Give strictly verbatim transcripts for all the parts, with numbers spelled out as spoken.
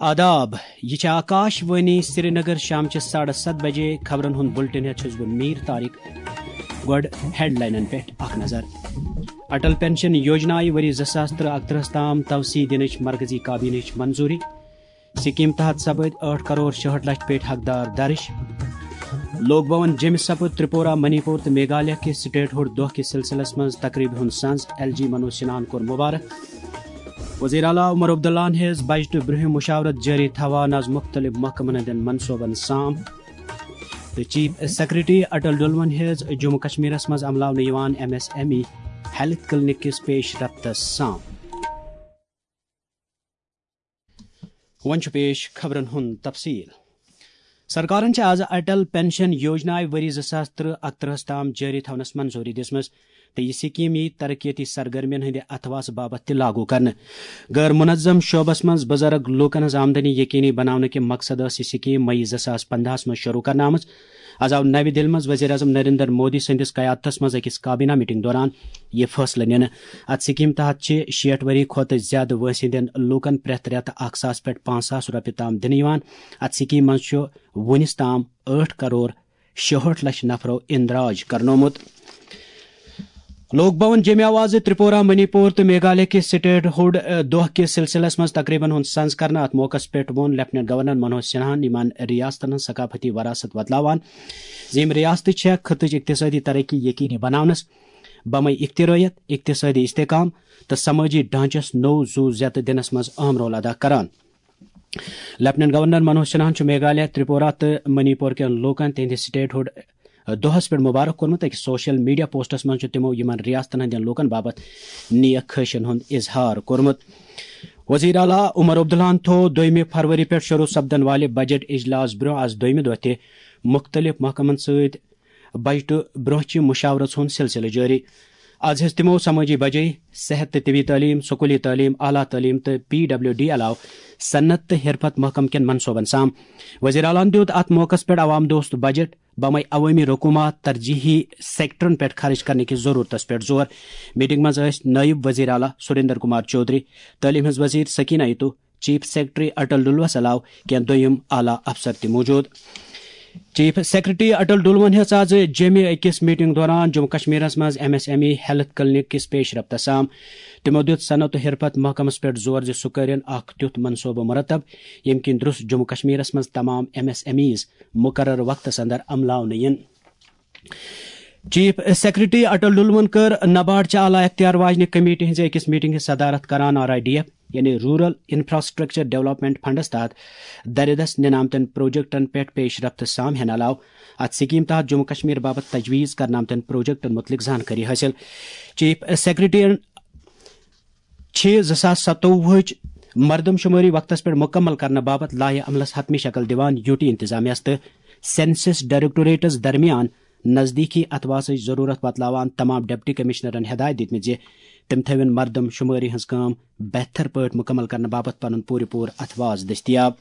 آداب، یہِ چھِ آکاش وانی سرینگر۔ شام چہِ ساڑٕ ستھ بجے خبرن ہُنٛد بُلٹن ہٮ۪تھ چھُس بہٕ میٖر طارق۔ گۄڈٕ ہیڈلاینن پٮ۪ٹھ اکھ نظر۔ اٹل پینشن یوجنایہِ ؤری زٕ ساس ترٛہ اکترٕہس تام توسیع دِنٕچ مرکزی کابینٕچ منظوٗری۔ سکیٖم تحت سپٕدۍ ٲٹھ کرور شُہٲٹھ لچھ پیٹہِ حقدار درٕج۔ لوک بھون جیٚمہِ سپُد ترٛپوٗرا، منی پوٗر تہٕ میگھالیہ کہِ سٹیٹ ہُڈ دۄہ کِس سلسلس منٛز تقریبہِ ہُنٛد سنز۔ ایل جی منوج سنہاہن کوٚر مبارک۔ وزیر اعلیٰ عمر عبداللہن ہیٚژ بجٹہٕ برٛونٛہہ مشاورت جٲری تھاوان از مُختٔلِف محکمن ہٕنٛدٮ۪ن منصوٗبن سام۔ تہٕ چیف سیکرٹری اٹل ڈلون ہیٚژ جموں کشمیرس منٛز عملاونہٕ یِوان M S M E health clinic کِس پیش رفتس سام۔ وۄنۍ چھُ پیش خبرن ہُنٛد تفصیل۔ سرکارن چھِ آز اٹل پینشن یوجنایہِ ؤری زٕ ساس ترٛہ اکترٕہس تام جٲری تھاونس منظوٗری دِژمٕژ تہٕ یہِ سکیٖم یِیہِ ترقیتی سرگرمین ہٕنٛدِ اتھواسہٕ باپتھ تہِ لاگو کرنہٕ۔ غٲر منظم شعبس منٛز بُزرگ لوٗکن ہٕنٛز آمدنی یقینی بناونہٕ کہِ مقصد ٲس یہِ سکیٖم مئی زٕ ساس پندہس منٛز شروع کرنہٕ آمٕژ۔ از آو نوِ دِلہِ منٛز وزیر اعظم نریندر مودی سٕنٛدِس قیادتس منٛز أکِس کابینہ میٹنگ دوران یہِ فٲصلہٕ نِنہٕ۔ اتھ سکیٖم تحت چھِ شیٹھ ؤری کھۄتہٕ زیادٕ وٲنٛسہِ ہٕنٛدٮ۪ن لوٗکن پرٛٮ۪تھ رٮ۪تہٕ اکھ ساس پٮ۪ٹھ پانٛژھ ساس رۄپیہِ تام دِنہٕ یِوان۔ اتھ سکیٖم منٛز چھُ وُنِس تام ٲٹھ کرور شُہٲٹھ لچھ نفرو اندراج کرنومُت۔ لوک بھون جیٚمہِ آو آز ترٛپوٗرا، منی پوٗر تہٕ میگھالیہ کہِ سٹیٹ ہُڈ، ا، دۄہ کِس سلسلس منٛز تقریبن ہُنٛد سنز کرنہٕ۔ اتھ موقعس پٮ۪ٹھ ووٚن لیفٹیننٹ گورنر منوج سنہاہن یِمن ریاستن ہٕنٛز ثقافتی وراثت وۄتلاوان زِ یِم ریاستہٕ چھےٚ خطٕچ اقتصٲدی ترقی یقینی بناونس، بمے اختراعیت، اقتصٲدی استحکام تہٕ سمٲجی ڈھانچس نوٚو زُو زیتہٕ دِنس منٛز اہم رول ادا کران۔ لیفٹیننٹ گورنر منوج سنہاہن چھُ میگھالیہ، ترٛپوٗرا تہٕ منی پوٗر کٮ۪ن لوٗکن تِہنٛدِ سٹیٹ ہُڈ دۄہس پٮ۪ٹھ مبارک کوٚرمُت۔ أکِس سوشل میڈیا پوسٹس منٛز چھُ تِمو یِمن ریاستن ہٕنٛدٮ۪ن لوٗکن باپتھ نیک خواہشن ہُنٛد اظہار کوٚرمُت۔ وزیر اعلیٰ عمر عبداللہن تھوو دوٚیمہِ فروری پٮ۪ٹھ شروع سپدن والہِ بجٹ اجلاس برٛونٛہہ از دوٚیمہِ دۄہ تہِ مُختٔلِف محکمن سۭتۍ بجٹہٕ برٛونٛہہ چہِ مشاورژ ہُنٛد سلسلہٕ جٲری۔ از ہیٚژ تِمو سمٲجی بجٲیی، صحت تہٕ طبی تعلیٖم، سکوٗلی تعلیٖم، اعلیٰ تعلیٖم تہٕ پی ڈبلیو ڈی علاوٕ صنعت تہٕ حرفت محکمہٕ کٮ۪ن منصوٗبن سام۔ وزیر اعلیٰ ہن دیُت اتھ موقعس پٮ۪ٹھ عوام دوست بجٹ، بمے عوٲمی رقوٗمات ترجیحی سیکٹرن پٮ۪ٹھ خرٕچ کرنہٕ کِس ضروٗرتس پٮ۪ٹھ زور۔ میٹنگ منٛز ٲسۍ نٲیِب وزیر اعلیٰ سریندر کمار چودھری، تعلیٖم ہٕنٛز وزیر سکینہ ایتو، چیف سیکرٹری اٹل ڈلوس علاوٕ کینٛہہ دوٚیِم اعلیٰ افسر تہِ موجود۔ چیف سیکرٹری اٹل ڈلون ہیٚژ آز جیٚمہِ أکِس میٹنگ دوران جموں کشمیرس منٛز M S M E health clinic کِس پیش رفتس سام۔ تِمو دیُت صنعت و حرفت محکمس پٮ۪ٹھ زور زِ سُہ کٔرِن اکھ تیُتھ منصوبہٕ مرتب، ییٚمہِ کِنۍ درست جموں کشمیرس منٛز تمام ایم ایس ایم ایز مقرر وقتس اندر عملاونہٕ یِن۔ چیف سیکرٹری اٹل ڈلون کٔر نبارڈ چہِ اعلیٰ اختیار واجنہِ کمیٹی ہٕنٛزِ أکِس میٹنگ ہٕنٛز صدارت کران آر آئی ڈی ایف، یعنی رورل انفراسٹرکچر ڈیولپمنٹ فنڈس تحت دردس نِنہٕ آمتٮ۪ن پروجیکٹن پٮ۪ٹھ پیش رفت سام ہٮ۪نہٕ علاوٕ اتھ سکیٖم تحت جموں کشمیر باپتھ تجویز کرنہٕ آمتٮ۪ن پروجیکٹن متعلق زانکٲری حٲصِل۔ چیف سیکرٹریَن چھِ زٕ ساس ستووُہٕچ مردم شمٲری وقتس پٮ۪ٹھ مکمل کرنہٕ باپتھ لایحہ عملس حتمی شکل دِوان یوٗ ٹی انتظامیہس تہٕ سینسس ڈائریکٹوریٹس درمیان نزدیکی اتھواسٕچ ضرورت بتلاوان تمام ڈپٹی کمشنرن ہدایت دِتمٕتۍ زِ تِم تھٲوِن مردم شمٲری ہٕنٛز کٲم بہتر پٲٹھۍ مکمل کرنہٕ باپتھ پنُن پوٗرٕ پوٗرٕ اتھواس دٔستیاب۔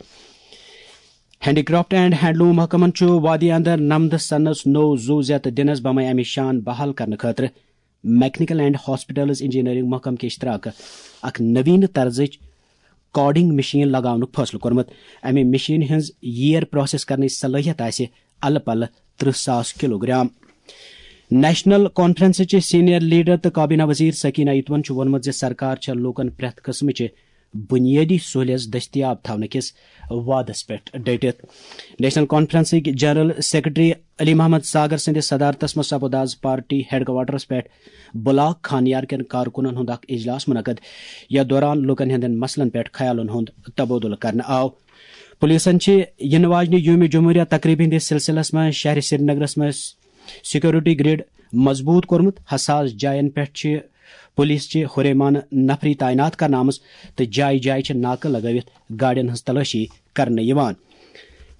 ہینڈی کرافٹ اینڈ ہینڈلوم محکمن چھُ وادی اندر نمدٕ سنس نوٚو زُو زیتہٕ دِنس بمے امہِ شان بحال کرنہٕ خٲطرٕ میکنیکل اینڈ ہاسپٹلز انجینئرنگ محکمہٕ کہِ اشتراکہٕ اکھ نوینہٕ طرزٕچ کارڈنگ مشین لگاونُک فٲصلہٕ کوٚرمُت۔ امہِ مشینہِ ہٕنٛز ییر پروسیس کرنٕچ صلٲحیت آسہِ الہٕ پلہٕ ترٕہ ساس کلوگرام۔ نیشنل کانفرنسٕچ سینئر لیڈر تہٕ کابینہ وزیر سکینہ ایتون چھُ ووٚنمُت زِ سرکار چھےٚ لوٗکن پرٛٮ۪تھ قٕسمٕچہِ بُنیٲدی سہولیژ دٔستیاب تھاونہٕ کِس وعدس پٮ۪ٹھ ڈٔٹِتھ۔ نیشنل کانفرنسٕکۍ جنرل سیکرٹری علی محمد ساگر سٕنٛدِس صدارتس منٛز سپُد آز پارٹی ہیڈ کوارٹرس پٮ۪ٹھ بلاک خانیار کٮ۪ن کارکُنن ہُنٛد اکھ اجلاس منعقد، یتھ دوران لوٗکن ہٕنٛدٮ۪ن مسلن پٮ۪ٹھ خیالن ہُنٛد تبادلہٕ کرنہٕ آو۔ پولیسن چھِ یِنہٕ واجنہِ یوم جمہوریہ تقریبہِ ہٕنٛدِس سلسلس منٛز شہرِ سرینگرس منٛز سیکورٹی گرڈ مضبوط کوٚرمُت۔ حساس جاین پٮ۪ٹھ چھِ پولیس چہِ ہُریمانہٕ نفری تعینات کرنہٕ آمٕژ تہٕ جایہِ جایہِ چھِ ناکہٕ لگٲوِتھ گاڑٮ۪ن ہٕنٛز تلٲشی کرنہٕ یِوان۔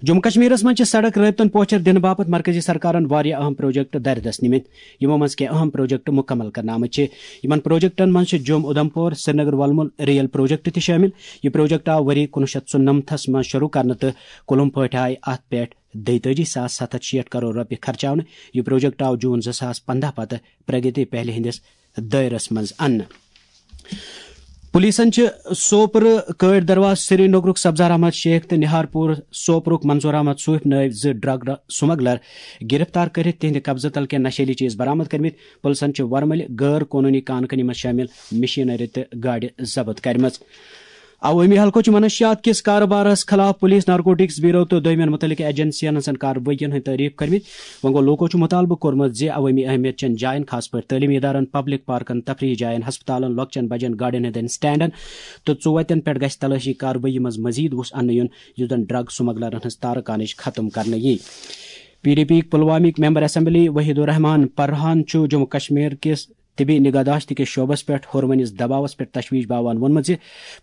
جموں کشمیرس منٛز چھِ سڑک رٲبطن پوچھر دِنہٕ باپتھ مرکزی سرکارن واریاہ اہم پروجیکٹ دردس نِمٕتۍ، یِمو منٛز کینٛہہ اہم پروجیکٹ مکمل کرنہٕ آمٕتۍ چھِ۔ یِمن پروجیکٹن منٛز چھِ جوٚم اُدھمپور سرینگر ولمُل ریل پروجیکٹ تہِ شٲمِل۔ یہِ پروجیکٹ آو ؤری کُنوُہ شیٚتھ ژُنَمتھس منٛز شروع کرنہٕ تہٕ کُلُم پٲٹھۍ آیہِ اتھ پٮ۪ٹھ دۄیتٲجی ساس ستھ ہتھ شیٹھ کرور رۄپیہِ خرچاونہٕ۔ یہِ پروجیکٹ آو جون زٕ ساس پندہ پتہٕ پرگتی پہلہِ ہٕنٛدِس دٲیرس منٛز اننہٕ۔ پولیسن چھِ سوپرٕ کٲٹھۍ درواز سری نگرُک سبزار احمد شیخ تہٕ نہار پوٗر سوپرُک منظور احمد صوٗفۍ نٲوۍ زٕ ڈرگ سمگلر گرفتار کٔرِتھ تِہنٛدِ قبضہٕ تل کینٛہہ نشیلی چیز برآمد کٔرمٕتۍ۔ پُلسن چھِ ورمٕلۍ غٲر قونوٗنی کانہٕ کٲنی منٛز شٲمِل مشینری تہٕ گاڑِ ضبط کٔرمٕژ۔ عوٲمی حلقو چھُ منشیات کِس کارٕبارس خلاف پُلیٖس نارکوٹکس بیورو تہٕ دوٚیمٮ۪ن مُتعلقہٕ ایجنسین ہٕنٛزن کاروٲیین ہٕنٛدۍ تعریف کٔرمٕتۍ۔ وۄنۍ گوٚو، لوٗکو چھُ مُطالبہٕ کوٚرمُت زِ عوٲمی اہمیت چٮ۪ن جاین، خاص پٲٹھۍ تعلیمی ادارن، پبلک پارکن، تفریحی جاین، ہسپتالن، لۄکچٮ۪ن بجٮ۪ن گاڑٮ۪ن ہٕنٛدٮ۪ن سٹینڈن تہٕ ژُوتٮ۪ن پٮ۪ٹھ گژھِ تلٲشی کاروٲیی منٛز مزید وُس اننہٕ یُن، یُس زن ڈرگ سمگلرن ہٕنٛز تارٕ کانٕچ ختم کرنہٕ یی۔ پی ڈی پی پلوامٕکۍ ممبر اسمبلی وحید الرحمان پرہان چھُ جموں کشمیر کِس طبی نگہداشت کِس شعبس پٮ۪ٹھ ہورمونس دباوس پٮ۪ٹھ تشویش باوان ووٚنمُت زِ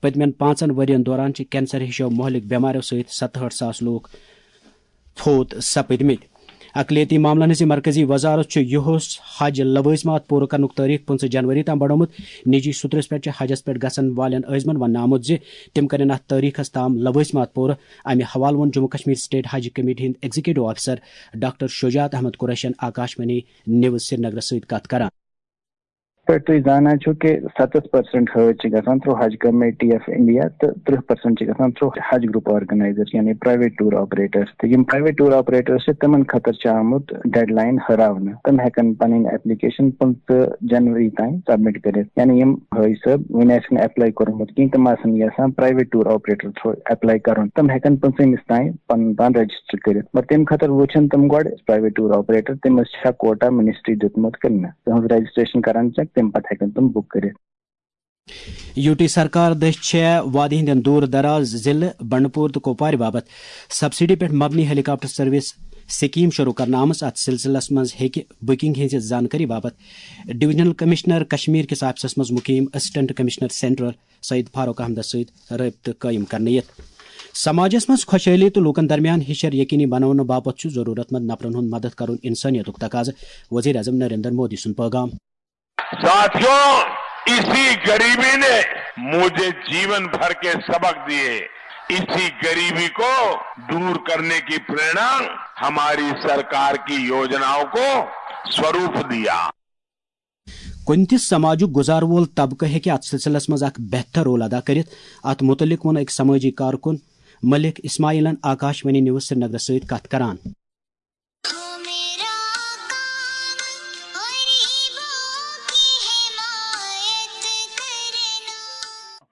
پٔتمٮ۪ن پانٛژن ؤرین دوران چھِ کینسر ہِشو مۄہلِک بٮ۪ماریو سۭتۍ ستہٕ ہٲٹھ ساس لوٗکھ فوت سپٕدمٕتۍ۔ اقلیتی معاملن ہٕنٛزِ مرکزی وزارت چھُ یُہُس حج لوٲزمات پوٗرٕ کرنُک تٲریخ پٕنٛژٕہ جنوری تام بڑومُت۔ نجی سوٚترس پٮ۪ٹھ چھِ حجس پٮ۪ٹھ گژھن والٮ۪ن عٲزمن وننہٕ آمُت زِ تِم کرن اتھ تٲریخس تام لوٲزمات پوٗرٕ۔ امہِ حوالہٕ ووٚن جموں کشمیر سٹیٹ حج کمیٹی ہٕنٛدۍ ایگزیکٹو آفیسر ڈاکٹر شجاعت احمد قریشن آکاشوانی نیوز سرینگرس سۭتۍ کتھ کران۔ پٮ۪ٹھ تُہۍ زانان چھِو کہِ ستتھ پرسنٹ حٲج چھِ گژھان تھرو حج کمیٹی آف انڈیا تہٕ ترٕٛہ پرسنٹ چھِ گژھان تھرو حج گروپ آرگنائزر، یعنی پرائیویٹ ٹور آپریٹر۔ تہٕ یِم پرائیویٹ ٹور آپریٹر چھِ، تِمن خٲطرٕ چھِ آمُت ڈیڈ لائن ہراونہٕ۔ تِم ہٮ۪کن پنٕنۍ ایپلیکیشن پٕنٛژٕہ جنوری تام سبمٹ کٔرِتھ۔ یعنی یِم حٲج صٲب وُنہِ آسہِ نہٕ اپلائی کوٚرمُت کِہیٖنۍ، تِم آسن یژھان private tour operator through apply کرُن، تِم ہٮ۪کن پٕنٛژٕہمِس تام پنُن پان رجسٹر کٔرِتھ۔ مگر تَمہِ خٲطرٕ وٕچھن تِم گۄڈٕ پرائیویٹ ٹور آپریٹر، تٔمِس چھا کوٹا منسٹری دیُتمُت کِنہٕ نہ۔ تِہنٛز رجسٹریشن کران چیک، تَمہِ پتہٕ ہٮ۪کن تِم بُک کٔرِتھ۔ یوٗ ٹی سرکار دٔسۍ چھےٚ وادی ہٕنٛدٮ۪ن دوٗر دراز ضلعہٕ بنڈپور تہٕ کۄپوارِ باپتھ سبسڈی پٮ۪ٹھ مبنی ہیلی کاپٹر سروس سکیٖم شروٗع کرنہٕ آمٕژ۔ اتھ سلسلس منٛز ہیٚکہِ بُکنگ ہٕنٛزِ زانکٲری باپتھ ڈویژنل کمشنر کشمیر کِس آفسس منٛز مُقیم assistant commissioner central Syed Farooq احمدس سۭتۍ رٲبطہٕ قٲیِم کرنہٕ یِتھ۔ سماجس منٛز خۄشحٲلی تہٕ لوٗکن درمیان ہِشر یقینی بناونہٕ باپتھ چھُ ضروٗرت مند نفرن ہُنٛد مدد کرُن انسٲنیتُک تقاضہٕ، وزیر اعظم نریندر مودی سُنٛد پٲغام۔ साथियों, इसी गरीबी ने मुझे जीवन भर के सबक दिए। इसी गरीबी को दूर करने की प्रेरणा हमारी सरकार की योजनाओं को स्वरूप दिया। کُنہِ تہِ سماجُک گُزار وول طبقہٕ ہیٚکہِ اتھ سلسلس منٛز اکھ بہتر رول ادا کٔرِتھ۔ اتھ مُتعلق ووٚن أکۍ سمٲجی کارکُن ملک اسماعیلن آکاشوانی نیوز سرینگرس سۭتۍ کتھ کران۔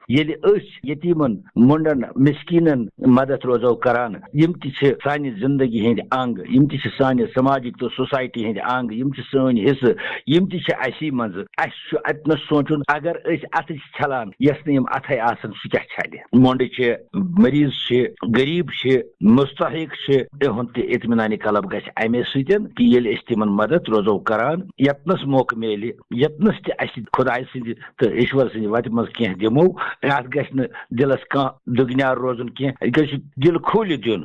ییٚلہِ أسۍ یتیٖمن، مۄنڈن، مسکیٖنن مدد روزو کران، یِم تہِ چھِ سانہِ زندگی ہٕنٛدۍ انگ، یِم تہِ چھِ سانہِ سماجٕکۍ تہٕ سوسایٹی ہٕنٛدۍ انگ، یِم چھِ سٲنۍ حصہٕ، یِم تہِ چھِ اسی منٛز۔ اسہِ چھُ اتنس سونٛچُن، اگر أسۍ اتھٕ چھِ چھلان، یس نہٕ یِم اتھے آسن، سُہ کیٛاہ چھلہِ؟ مۄنڈٕ چھِ، مریض چھِ، غریب چھِ، مستحق چھِ، تِہُنٛد تہِ اطمینان قلب گژھِ امے سۭتۍ کہِ ییٚلہِ أسۍ تِمن مدد روزو کران، یتنس موقعہٕ میلہِ، یتنس تہِ اسہِ خدایہِ سٕنٛدِ تہٕ ایشور سٕنٛدِ وتہِ منٛز کینٛہہ دِمو، اتھ گژھِ نہٕ دِلس کانٛہہ دُگنیار روزُن کینٛہہ، یہِ گژھِ دِل کھوٗلِتھ دیُن۔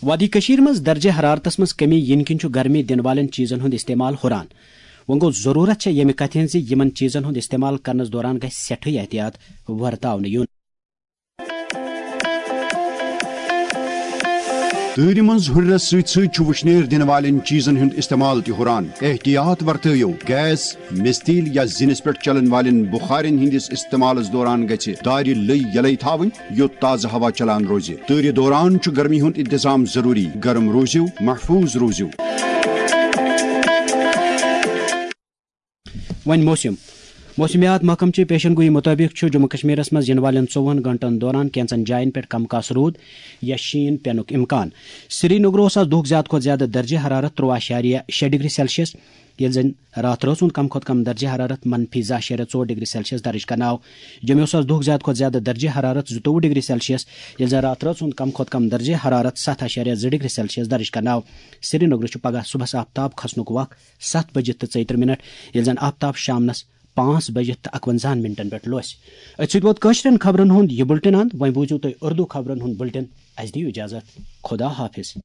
وادی کٔشیٖر منٛز درجہ حرارتس منٛز کمی یِنہٕ کِنۍ چھُ گرمی دِنہٕ والٮ۪ن چیٖزن ہُنٛد استعمال ہُران۔ وۄنۍ گوٚو، ضروٗرت چھےٚ ییٚمہِ کتھِ ہٕنٛز زِ یِمن چیٖزن ہُنٛد استعمال کرنس دوران گژھِ سٮ۪ٹھٕے احتیاط ورتاونہٕ یُن۔ تۭرِ منٛز ہُرنس سۭتۍ سۭتۍ چھُ وُشنیر دِنہٕ والٮ۪ن چیٖزن ہُنٛد استعمال تہِ ہُران۔ احتیاط ورتٲیِو، گیس، مِستیٖل یا زِنِس پٮ۪ٹھ چلن والٮ۪ن بُخارٮ۪ن ہٕنٛدِس استعمالس دوران گژھِ دارِ لٔۍ یلے تھاوٕنۍ، یوٚت تازٕ ہوا چلان روزِ۔ تۭرِ دوران چھُ گرمی ہُنٛد انتظام ضروٗری۔ گرم روٗزِو، محفوٗظ روٗزِو۔ وۄنۍ موسم۔ موسمیات محکمہٕ چہِ پیشن گویی مُطٲبِق چھُ جموں کشمیرس منٛز یِنہٕ والٮ۪ن ژوٚوُہن گھنٹن دوران کینٛژن جاین پٮ۪ٹھ کم کاس روٗد یا شیٖن پینُک امکان۔ سری نگرٕ اوس آز دُہُک زیادٕ کھۄتہٕ زیادٕ درجہ حرارت ترٛوَہ اعشاریہ شےٚ ڈگری سیلسیس، ییٚلہِ زَن راتھ رٲژ ہُنٛد کم کھۄتہٕ کم درجہ حرارت منفی زٕ اعشاریہ ژور ڈگری سیلسیس درج کرنہٕ آو۔ جوٚمہِ اوس آز دُہُک زیادٕ کھۄتہٕ زیادٕ درجہ حرارت زٕتووُہ ڈگری سیلسیس، ییٚلہِ زَن راتھ رٲژ ہُنٛد کم کھۄتہٕ کم درجہ حرارت ستھ اعشاریہ زٕ ڈگری سیلسیس درج کرنہٕ آو۔ سری نگرٕ چھُ پگہہ صبحس آفتاب کھسنُک وق ستھ بجِتھ تہٕ ژۄیہِ ترٕٛہ منٹ، ییٚلہِ زَن آفتاب شامنس پانٛژھ بجِتھ تہٕ اکونزاہن منٹن پٮ۪ٹھ لوسہِ۔ أتھۍ سۭتۍ ووت کٲشرٮ۪ن خبرن ہُنٛد یہِ بُلٹن اند۔ وۄنۍ بوٗزِو تُہۍ اُردو خبرن ہُنٛد بُلٹن۔ اَسہِ دِیِو اجازت۔ خدا حافظ۔